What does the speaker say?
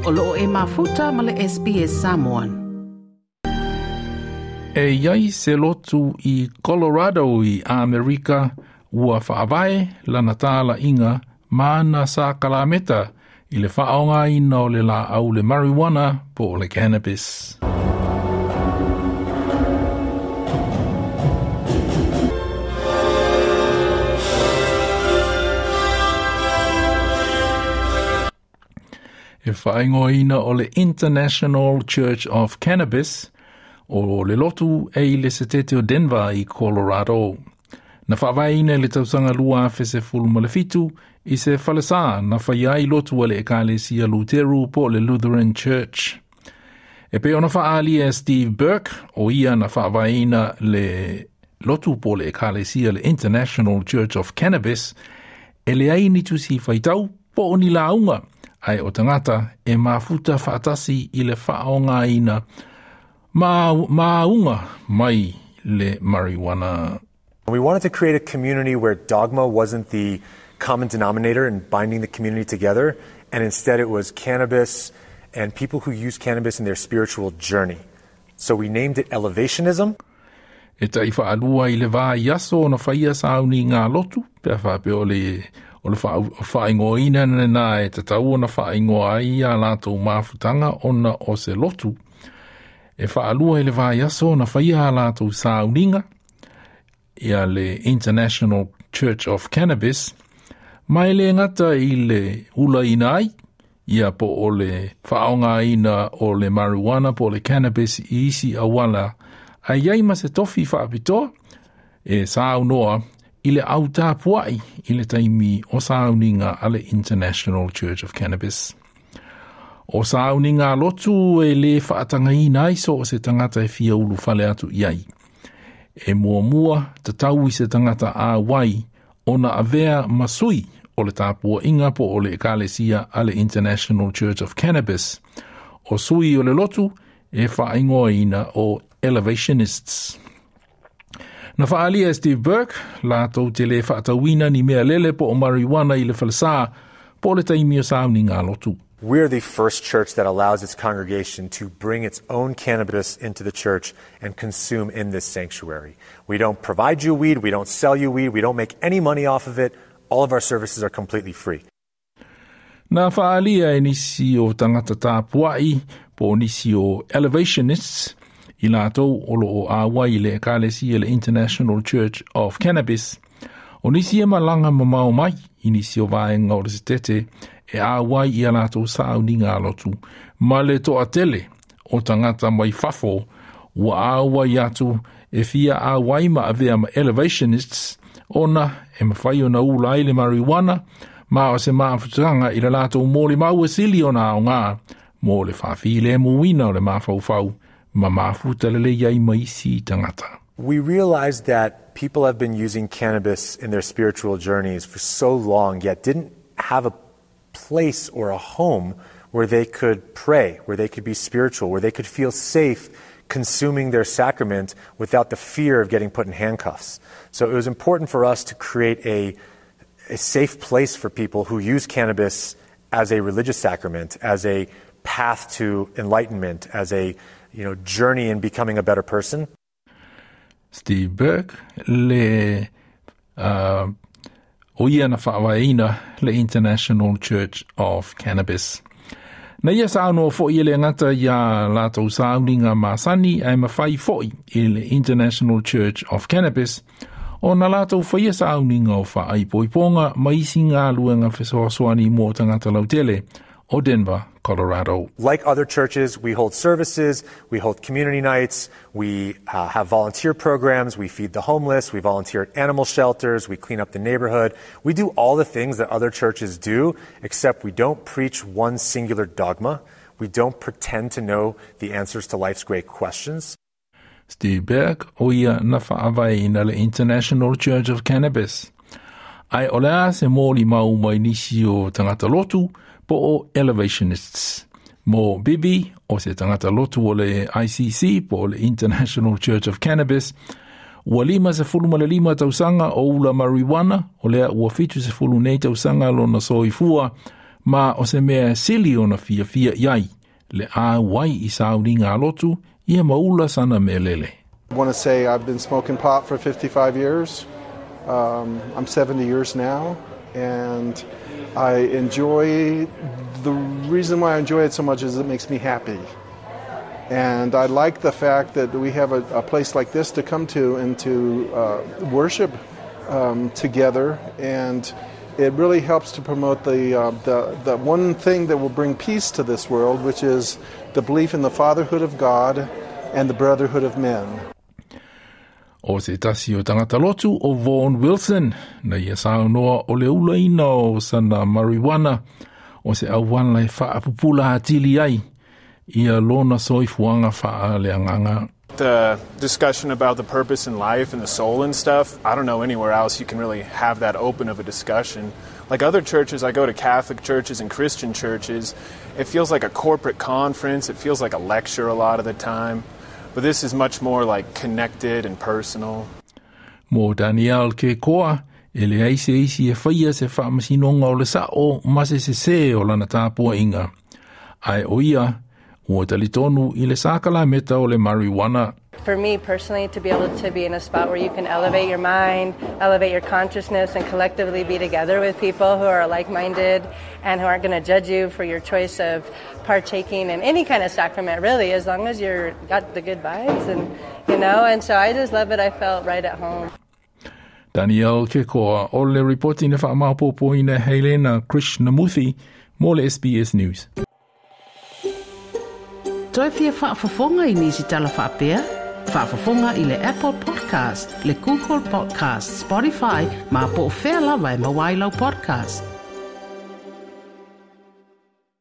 O loo e mafuta ma le SBS Samoan. E iai se lotu i Colorado i Amerika ua faavae lana talaiga ma ana sakalameta i le faaaogaina o le laau le marijuana po o le cannabis. E faaigoaina o le International Church of Cannabis o le lotu e i le setete o Denver i Colorado. Na faavaeina i le tausaga 2017 i se falesā na faia ai lotu a le Ekalesia Luteru po o le Lutheran Church. E pei ona faaalia e Steve Burke, o ia na faavaeina le lotu po o le Ekalesia le International Church of Cannabis, e leai ni tusi faitau po o ni lauga, ae o tagata e mafuta faatasi i le faaaogaina ma maauga mai le marijuana. We wanted to create a community where dogma wasn't the common denominator in binding the community together, and instead it was cannabis and people who use cannabis in their spiritual journey. So we named it Elevationism. E tai whaalua i le vaiaso ona faia sauniga a lotu, pe a faapea o le o le faaigoaina lena e tatau ona faaigoa ai a latou mafutaga ona o se lotu. E faalua i le vaiaso ona faia a latou sauniga, ia le International Church of Cannabis, ma e le gata i le ulaina ai, ia po o le faaaogaina o le marijuana po o le cannabis i isi auala, ae i ai ma se tofi faapitoa e saunoa i le au tapuai i le taimi o sauniga a le International Church of Cannabis. O sauniga a lotu e lē faatagaina ai so o se tagata e fia ulufale atu i ai. E muamua tatau i se tagata āwai ona avea ma sui o le tapuaiga po o le Ekalesia a le International Church of Cannabis. O sui o le lotu e faaigoaina o Elevationists. Na faaalia e Steve Burke, latou te lē faatauina ni mea lele po o marijuana i le falesā po o le taimi o sauniga a lotu. We're the first church that allows its congregation to bring its own cannabis into the church and consume in this sanctuary. We don't provide you weed, we don't sell you weed, we don't make any money off of it. All of our services are completely free. Na faaalia e nisi o tagata tapuai po o nisi o Elevationists i latou o lo o ʻauai i le Ekalesia le International Church of Cannabis, o nisi e malaga mamao mai i nisi o vaega o le setete e ʻauai i a latou sauniga a lotu ma le toatele o tagata mai fafo ua ʻauai atu e fia ʻauai ma avea ma Elevationists ona e mafai ona ula ai le marijuana ma o se mafutaga i le latou molimau e sili ona aoga mo le faafilemuina o le mafaufau ma mafuta lelei ai ma isi tagata. We realized that people have been using cannabis in their spiritual journeys for so long, yet didn't have a place or a home where they could pray, where they could be spiritual, where they could feel safe consuming their sacrament without the fear of getting put in handcuffs. So it was important for us to create a, a safe place for people who use cannabis as a religious sacrament, as a path to enlightenment, as a you know, journey in becoming a better person. Steve Burke le o ia na faavaeina le International Church of Cannabis. Na ia saunoa foʻi e le gata iā latou sauniga masani ae mafai foʻi i le International Church of Cannabis ona latou faia sauniga o faaipoipoga ma isi galuega fesoasoani mo tagata lautele o Denver, Colorado. Like other churches, we hold services, we hold community nights, we have volunteer programs, we feed the homeless, we volunteer at animal shelters, we clean up the neighborhood. We do all the things that other churches do, except we don't preach one singular dogma. We don't pretend to know the answers to life's great questions. Steve Burke o ia na faavaeina le International Church of Cannabis. Ae o le a se molimau mai nisi o tagata lotu po o Elevationists. Mo Bibi, o se tagata lotu o le ICC po o le International Church of Cannabis, ua 55 tausaga o ula marijuana, o lea ua 70 nei tausaga lona soifua, Ma o se mea sili ona fiafia i ai, le auai i sauniga a lotu, ia ma ula sana melele. I want to say I've been smoking pot for 55 years. I'm 70 years now, and I enjoy, the reason why I enjoy it so much is it makes me happy. And I like the fact that we have a place like this to come to and to worship together, and it really helps to promote the one thing that will bring peace to this world, which is the belief in the fatherhood of God and the brotherhood of men. O se tasi o tangata lotu o Vaughan Wilson, na ia saunoa o le ulaina o sana marijuana, o se auala e faapupula atili ai, ia lona soifuaga faaleagaga. The discussion about the purpose in life and the soul and stuff, I don't know anywhere else you can really have that open of a discussion. Like other churches, I go to Catholic churches and Christian churches, it feels like a corporate conference, it feels like a lecture a lot of the time. But this is much more like connected and personal. Mo Daniel Kekoa, e leai se isi e faia se faamasinoga o le sa'o ma se sesē o lana tapuaʻiga. Ae o ia, ua talitonu i le sakalameta o le marijuana. For me personally, to be able to be in a spot where you can elevate your mind, elevate your consciousness, and collectively be together with people who are like-minded and who aren't going to judge you for your choice of partaking in any kind of sacrament, really, as long as you're got the good vibes, and you know. And so I just love it. I felt right at home. Daniel Kekoa o le ripoti na faamaopoopoina e Helena Krishnamuthi mo le SBS News. Toe fia faafofoga i nisi tala faapea? Faafofoga i le Apple Podcast, le Google Podcast, Spotify, ma po o fea lava e maua ai lau podcast.